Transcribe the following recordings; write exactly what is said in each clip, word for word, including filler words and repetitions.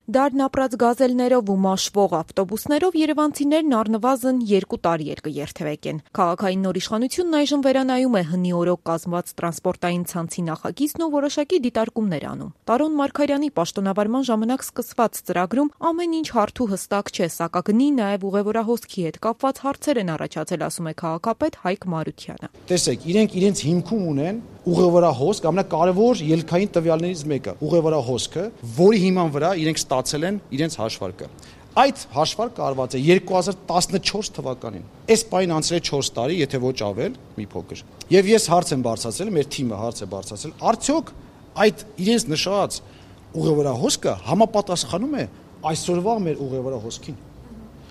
Դարն ապրած գազելներով ու մաշվող ավտոբուսներով երևանցիներն առնվազն երկու տարի էր կերթևեկեն։ Քաղաքային նոր իշխանությունն այժմ վերանայում է հնի օրոք կազմված տրանսպորտային ցանցի նախագիծն ու որոշակի դիտարկումներ անում։ Տարոն Մարգարյանի պաշտոնավարման ժամանակ սկսված ծրագրում ամեն ինչ հարթ ու հստակ չէ, սակագնի նաև ուղևորահոսքի հետ կապված հարցեր են առաջացել, ասում է քաղաքապետ Հայկ Մարությանը։ Տեսեք, իրենք իրենց հիմքում ունեն ուղևորահոսք, ամենակարևոր ելքային տվյալներից մեկը, ուղևորահոսքը, որի հիման վրա իրենք ստացել են իրենց հաշվարկը։ Այդ հաշվարկը արված է երկու հազար տասնչորս թվականին։ Այս պայն անցել է չորս տարի, եթե ոչ ավել, մի փոքր։ Եվ ես հարց եմ բարձրացրել, մեր թիմը հարց է բարձրացրել, արդյոք այդ իրենց նշած ուղևորահոսքը համապատասխանում է այսօրվա մեր ուղևորահոսքին։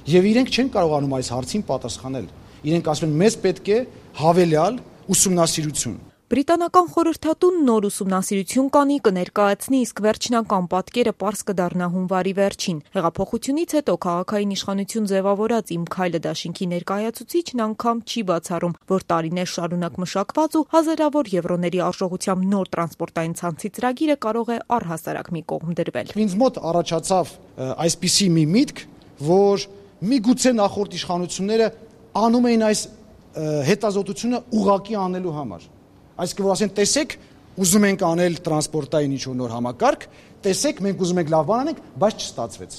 Եվ իրենք չեն կարողանում այս հարցին պատասխանել։ Իրենք ասում են, մեզ պետք է հավելյալ ուսումնասիրություն։ Բրիտանական խորհրդատուն նոր ուսումնասիրություն կանի կներկայացնի, իսկ վերջնական պատկերը պարզ կդառնա հունվարի վերջին։ Հեղափոխությունից հետո քաղաքային իշխանություն ձևավորած Իմ քայլը դաշինքի ներկայացուցիչն անգամ չի բացառում, որ տարիներ շարունակ մշակված ու հազարավոր եվրոների արժողությամբ նոր տրանսպորտային ցանցի ծրագիրը կարող է առհասարակ մի կողմ դրվել։ Ինձ մոտ առաջացավ այսպիսի մի միտք, որ միգուցե նախորդ իշխանությունները անում էին այս հետազոտությունը ուղղակի անելու համար։ Այսինքն որ ասեն, տեսեք, ուզում ենք անել տրանսպորտային ինչ-որ նոր համակարգ, տեսեք, մենք ուզում ենք լավ բան անենք, բայց չստացվեց։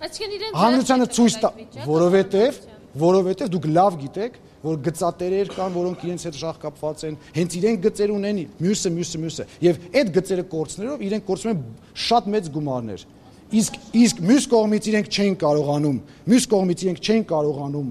Այսինքն իրենք հանրությանը ցույց տա, որովհետև, որովհետև դուք լավ գիտեք, որ գծատերեր կան, որոնք իրենց հետ շահկապված են, հենց իրենք գծեր ունեն, մյուսը, մյուսը, մյուսը, եւ այդ գծերը կորցնելով իրենք կորցնում են շատ մեծ գումարներ։ Իսկ իսկ մյուս կողմից իրենք չեն կարողանում, մյուս կողմից իրենք չեն կարողանում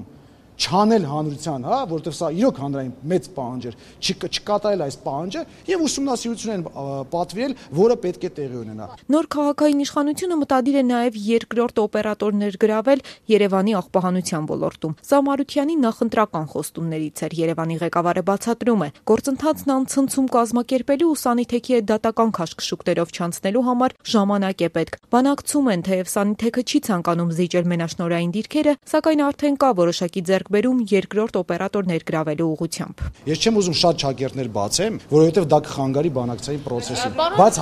չանել հանրության, հա, որովհետև սա իրոք հանրային մեծ պահանջ էր, չկատարել այս պահանջը եւ ուսումնասիրություն են պատվիրել, որը պետք է տեղի ունենա։ Նոր քաղաքային իշխանությունը մտադիր է նաեւ երկրորդ օպերատորներ գրավել Երևանի աղբահանության ոլորտում։ Սա Մարությանի նախընտրական խոստումներից էր։ Երևանի ղեկավարը բացատրում է, գործընթացն անցնցում կազմակերպելու ու Սանիթեքի հետ դատական քաշքշուկներով չանցնելու համար ժամանակ է պետք։ Բանակցում են, թեև Սանիթեքը չի ցանկանում զիջել մենաշնորհային դիրքերը, սակայն արդեն կա որոշակի բերում երկրորդ օպերատոր ներգրավելու ուղղությամբ։ Ես չեմ ուզում շատ շագերտներ բացեմ, որովհետև դա կխանգարի բանակցային process-ին, բայց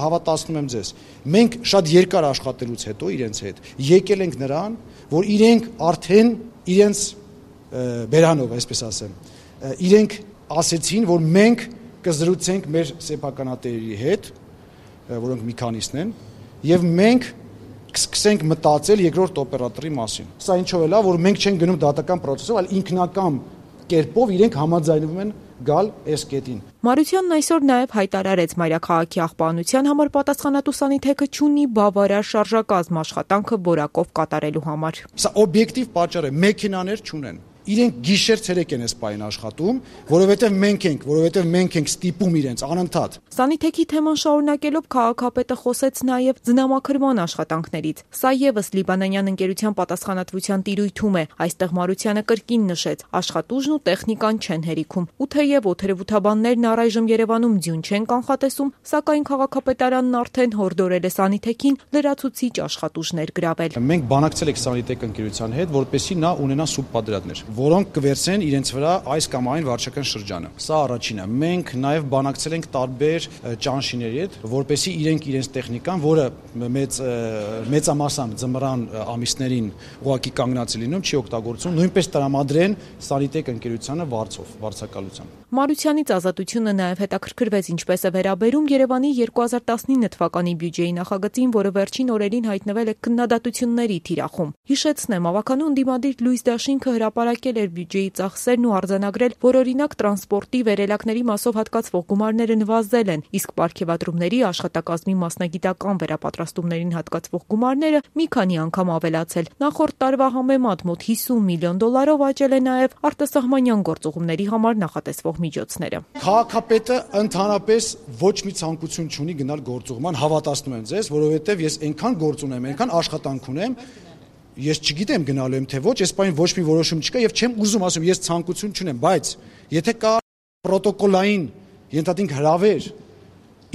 հավատացնում եմ ձեզ, մենք շատ երկար աշխատելուց հետո իրենց հետ եկել ենք նրան, որ իրենք արդեն իրենց բերանով, այսպես ասեմ, իրենք ասեցին, որ մենք կզրուցենք մեր սեփականատերերի հետ, որոնք մի քանիսն են, եւ մենք կսկսենք մտածել երկրորդ օպերատորի մասին։ Սա ինչով է լավ, որ մենք չենք գնում դատական process-ով, այլ ինքնական կերպով իրենք համաձայնվում են գալ այս կետին։ Մարությանն այսօր նաև հայտարարեց մայրաքաղաքի աղբահանության համար պատասխանատու Սանիթեքը չունի բավարար շարժակազմ աշխատանքը որակով կատարելու համար։ Սա օբյեկտիվ պատճառ է, մեքենաներ չունեն։ Իրենք գիշեր-ցերեկ են այս պայն աշխատում, որովհետև մենք ենք, որովհետև մենք ենք ստիպում իրենց անընդհատ։ Սանիթեքի թեման շարունակելով քաղաքապետը խոսեց նաև ձնամաքրման աշխատանքներից։ Սա եւս լիբանանյան ընկերության պատասխանատվության տիրույթում է։ Այստեղ Մարությանը կրկին նշեց, աշխատուժն ու տեխնիկան չեն հերիքում։ Ու թեև օթերևութաբաններն առայժմ Երևանում ձյուն չեն կանխատեսում, սակայն քաղաքապետարանն արդեն հորդորել է Սանիթեքին լրացուցիչ աշխատուժ ներգրավել։ Մենք բանակցել ենք Սանիթեք ընկերության հետ, որպեսզի նա ունենա սուբպադրատներ, որոնք կվերցնեն իրենց վրա այս կամ այն վարչական շրջանը։ Սա առաջինը։ Մենք նաև բանակցել ենք տարբեր ճանշիների հետ, որպեսզի իրենք իրենց տեխնիկան, որը մեծ մեծամասամբ ձմռան ամիսներին ուղղակի կանգնած է լինում, չի օգտագործում, նույնպես տրամադրեն Սանիթեք ընկերությանը վարձով, վարձակալությամբ։ Մարությանից ազատությունը նաև հետաքրքրվեց ինչպես է վերաբերում Երևանի երկու հազար տասնինը թվականի բյուջեի նախագծին, որը վերջին օրերին հայտնվել է քննադատությունների թիրախում։ Հիշեցնեմ, ավականու ընդդիմադիր Լույս Դաշինքը հրապարակել էր բյուջեի ծախսերն ու արձանագրել, որ օրինակ տրանսպորտի վերելակների մասով հատկացվող գումարները նվազել են, իսկ պարգևատրումների աշխատակազմի մասնագիտական վերապատրաստումներին հատկացվող գումարները մի քանի անգամ ավելացել։ Նախորդ տարվա համեմատ մոտ հիսուն միլիոն դոլարով աճել է նաև արտասահմանյան գործուղումների համար նախատեսվող միջոցները։ Քաղաքապետը ընդհանրապես ոչ մի ցանկություն չունի գնալ գործուղման, հավատացնում եմ ձեզ, որովհետև ես այնքան գործ ունեմ, այնքան աշխատանք ունեմ, ես չգիտեմ գնալու եմ թե ոչ, այս պայն ոչ մի որոշում չկա եւ չեմ ուզում ասում, ես ցանկություն չունեմ, բայց եթե կա պրոտոկոլային ենթադրենք հրավեր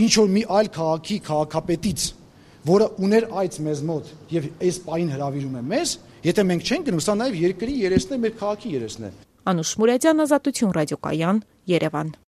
ինչ որ մի այլ քաղաքի քաղաքապետից, որը ուներ այց մեզ մոտ եւ այս պայն հրավիրում է մեզ, եթե մենք չենք գնում, սա նաեւ երկրի երեսն է, մեր քաղաքի երեսն է։ Անուշ Մուրադյան, Ազատություն ռադիոկայան, Երևան։